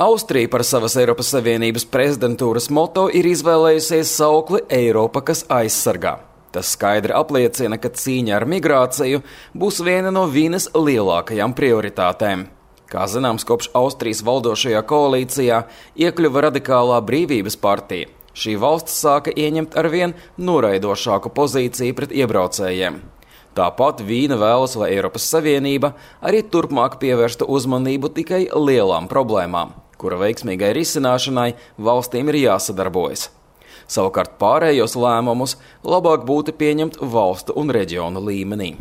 Austrija par savas Eiropas Savienības prezidentūras moto ir izvēlējusies saukli Eiropa, kas aizsargā. Tas skaidri apliecina, ka cīņa ar migrāciju būs viena no Vīnes lielākajām prioritātēm. Kā zināms, kopš Austrijas valdošajā koalīcijā iekļuva radikālā Brīvības partija. Šī valsts sāka ieņemt arvien noraidošāku pozīciju pret iebraucējiem. Tāpat Vīna vēlas, lai Eiropas Savienība arī turpmāk pievērsta uzmanību tikai lielām problēmām, kura veiksmīgai risināšanai valstīm ir jāsadarbojas. Savukārt pārējos lēmumus labāk būtu pieņemt valstu un reģionu līmenī.